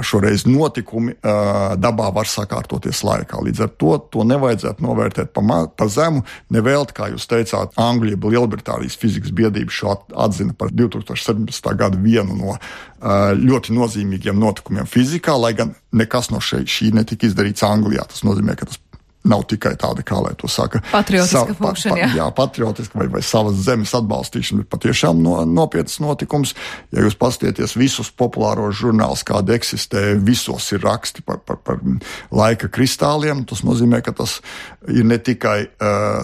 šoreiz notikumi dabā var sakārtoties laikā. Līdz ar to nevajadzētu novērtēt pa zemu, nevēlt, kā jūs teicāt, Anglija, Lielbritānijas fizikas biedrība šo atzina par 2017. Gada vienu no ļoti nozīmīgiem notikumiem fizikā, lai gan nekas no šī netika izdarīts Anglijā. Tas nozīmē, ka tas nav tikai tāda, kā lai to saka, patriotiska funkcija. Jā, patriotiska vai savas zemes atbalstīšana, bet patiešām nopietnas notikums. Ja jūs paskatieties visus populāros žurnālus, kādi eksistē, visos ir raksti par laika kristāliem. Tas nozīmē, ka tas ir ne tikai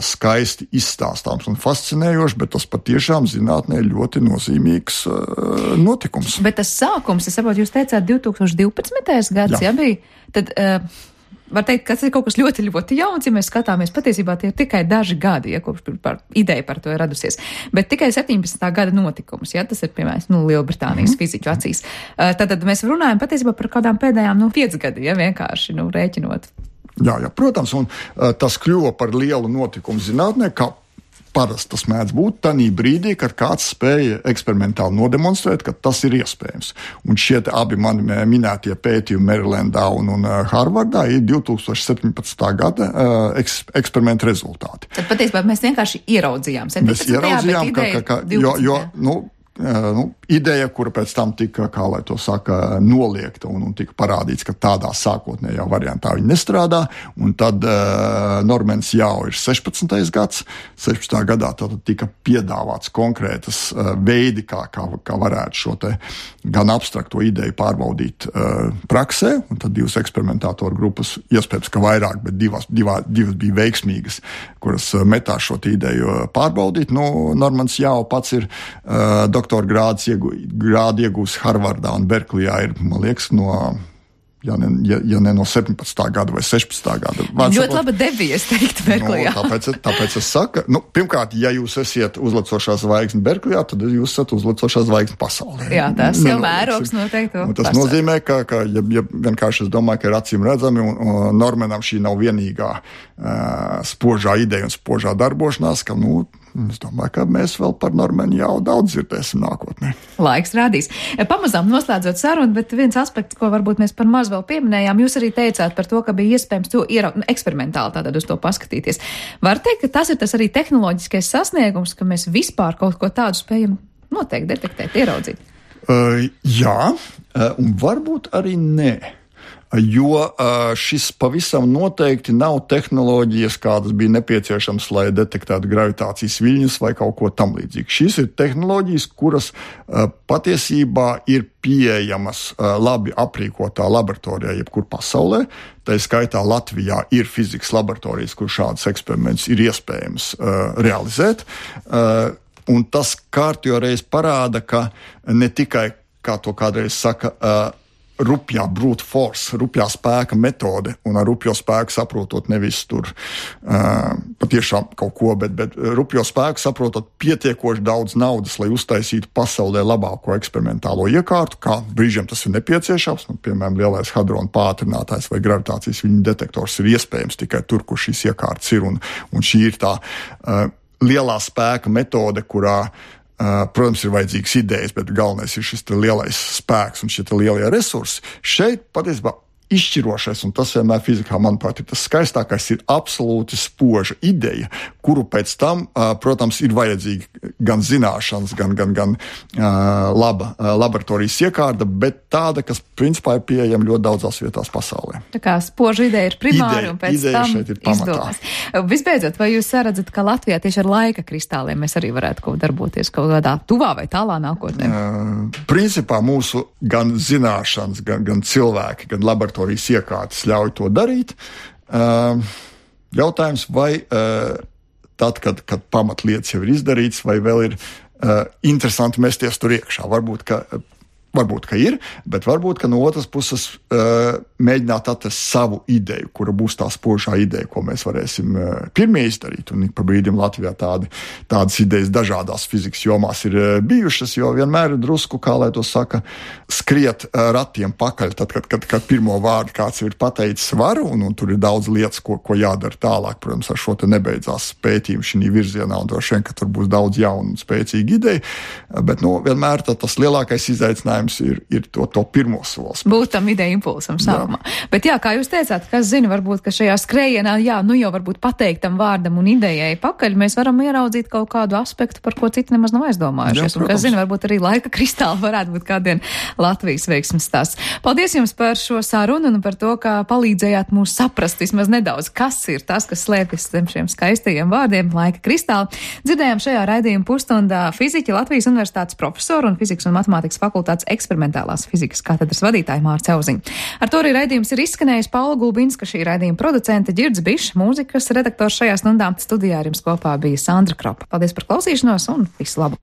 skaisti izstāstāms un fascinējoši, bet tas patiešām zinātnē ļoti nozīmīgs notikums. Bet tas sākums, es saprotu, jūs teicāt 2012. gads, jā bija? Tad var teikt, ka tas ir kaut kas ļoti, ļoti jauns, ja mēs skatāmies, patiesībā tie ir tikai daži gadi, ja kopš ideja par to ir radusies. Bet tikai 17. gada notikums, ja tas ir, piemēram, Lielbritānijas fiziķu acīs. Tad mēs runājam patiesībā par kādām pēdējām 5 gadi, ja vienkārši rēķinot. Jā, protams, un tas kļuva par lielu notikumu zinātnē, kā parasti tas mēdz būt tanī brīdī, kad kāds spēja eksperimentāli nodemonstrēt, ka tas ir iespējams. Un šie abi mani minētie pētījumi Marylandā un Harvardā ir 2017. gada eksperimenta rezultāti. Tad patiesībā mēs vienkārši ieraudzījām. Mēs ieraudzījām, ideja, kura pēc tam tika, kā lai to saka, noliegta un tika parādīts, ka tādā sākotnējā variantā viņi nestrādā, un tad Normans jau ir 16. gads. 16. gadā tad tika piedāvāts konkrētas veidi, kā varētu šo te gan abstrakto ideju pārbaudīt praksē, un tad divas eksperimentātoru grupas, iespējams, ka vairāk, bet divas bija veiksmīgas, kuras metās šo ideju pārbaudīt. Normans jau pats ir doktora grādu iegūs Harvardā un Berklijā ir, man liekas, ja ne no 17. gada vai 16. gada. Ļoti labi devies, teikt, Berklijā. Tāpēc es saku, pirmkārt, ja jūs esiet uzlecošā zvaigzne Berklijā, tad jūs esat uzlecošā zvaigzne pasaulē. Jā, tas jau mērogs noteikti. Tas nozīmē, ka vienkārši es domāju, ka ir acīm redzami, un Normanam šī nav vienīgā spožā ideja un spožā darbošanās, ka, es domāju, ka mēs vēl par Normanu jau daudz dzirdēsim nākotnē. Laiks rādīs. Pamazām noslēdzot sarunu, bet viens aspekts, ko varbūt mēs par maz vēl pieminējām, jūs arī teicāt par to, ka bija iespējams to eksperimentāli tātad uz to paskatīties. Var teikt, ka tas ir tas arī tehnoloģiskais sasniegums, ka mēs vispār kaut ko tādu spējam noteikti detektēt, ieraudzīt? Jā, un varbūt arī nē. Jo šis pavisam noteikti nav tehnoloģijas, kādas bija nepieciešams, lai detektētu gravitācijas viļņus vai kaut ko tam līdzīgu. Šīs ir tehnoloģijas, kuras patiesībā ir pieejamas labi aprīkotā laboratorijā, jebkur pasaulē. Tā skaitā Latvijā ir fizikas laboratorijas, kur šādas eksperimentus ir iespējams realizēt. Un tas kārtjo reiz parāda, ka ne tikai, kā to kādreiz saka, rupjā brute force, rupjā spēka metode, un ar rupjo spēku saprotot nevis tur patiešām kaut ko, bet rupjo spēku saprotot pietiekoši daudz naudas, lai uztaisītu pasaulē labāko eksperimentālo iekārtu, kā brīžiem tas ir nepieciešams, piemēram, lielais hadrona pātrinātājs vai gravitācijas viļņu detektors ir iespējams tikai tur, kur šīs iekārtas ir, un šī ir tā lielā spēka metode, kurā protams, ir vajadzīgas idejas, bet galvenais ir šis lielais spēks un šie lielie resursi. Šeit patiesībā izšķirošais, un tas vienmēr fizikā, manuprāt, ir tas skaistākais, ir absolūti spoža ideja, kuru pēc tam, protams, ir vajadzīga gan zināšanas, gan laba laboratorijas iekārta, bet tāda, kas principā ir pieejama ļoti daudzās vietās pasaulē. Tā kā spoža ideja ir primāri un pēc tam izdomās. Visbeidzot, vai jūs redzat, ka Latvijā tieši ar laika kristāliem mēs arī varētu kaut darboties kaut kādā tuvā vai tālā nākotnē? Principā mūsu gan zināšanas, gan cilvēki, gan laboratorijas iekārtas ļauj to darīt. Jautājums, vai tad, kad pamatlietas jau ir izdarīts, vai vēl ir interesanti mesties tur iekšā. Varbūt, ka ir, bet varbūt, ka no otras puses mēģināt atrast savu ideju, kura būs tā spožā ideja, ko mēs varēsim pirmie izdarīt. Un pa brīdim Latvijā tādas idejas dažādās fizikas jomās ir bijušas, jo vienmēr ir drusku, kā lai to saka, skriet ratiem pakaļ, tad, kad pirmo vārdu kāds ir pateicis varu, un tur ir daudz lietas, ko jādara tālāk. Protams, ar šo te nebeidzās pētījumu šī virzienā, un droši vien, ka tur būs daudz jaunu un spēcīgu ideju, bet vienmēr tas lielākais izaicinājums ir to pirmo solis. Būt tam ideja impulsam sākumā. Bet jā, kā jūs teicāt, kas zina, varbūt, ka šajā skrējienā, jau varbūt pateiktam vārdam un idejai pakaļ, mēs varam ieraudzīt kaut kādu aspektu, par ko citi nemaz nav aizdomājušies. Un kas zina, varbūt arī laika kristāli varētu būt kādien Latvijas veiksmes stāsts. Paldies jums par šo sarunu un par to, ka palīdzējāt mūs saprast vismaz nedaudz, kas ir tas, kas slēpjas zem šiem skaistajiem vārdiem laika kristāli. Dzirdējām šajā raidījuma pusstundā fiziķi, Latvijas Universitātes profesoru un fizikas un matemātikas fakultātes eksperimentālās fizikas katedras vadītāju Mārtu Auziņu. Ar to arī raidījums ir izskanējis. Paula Gulbinska, šī raidījuma producente, Ģirds Bišs, mūzikas redaktors šajā stundā. Studijā ar jums kopā bija Sandra Kropa. Paldies par klausīšanos un visu labu!